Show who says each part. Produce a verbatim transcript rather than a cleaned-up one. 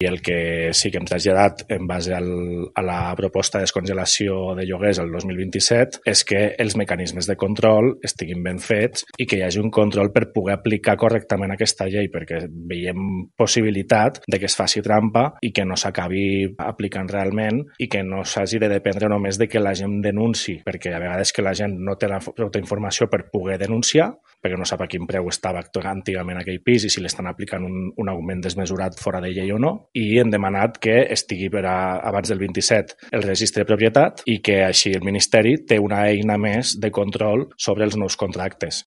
Speaker 1: I el que sí que hem traslladat en base al, a la proposta de descongelació de lloguers el dos mil vint-i-set és que els mecanismes de control estiguin ben fets i que hi hagi un control per poder aplicar correctament aquesta llei, perquè veiem possibilitat de que es faci trampa i que no s'acabi aplicant realment i que no s'hagi de dependre només de que la gent denunci, perquè a vegades que la gent no té la prou informació per poder denunciar, perquè no sap a quin preu estava antigament aquell pis i si l'estan aplicant un, un augment desmesurat fora de llei o no, i hem demanat que estigui per a, abans del vint-i-set el registre de propietat i que així el Ministeri té una eina més de control sobre els nous contractes.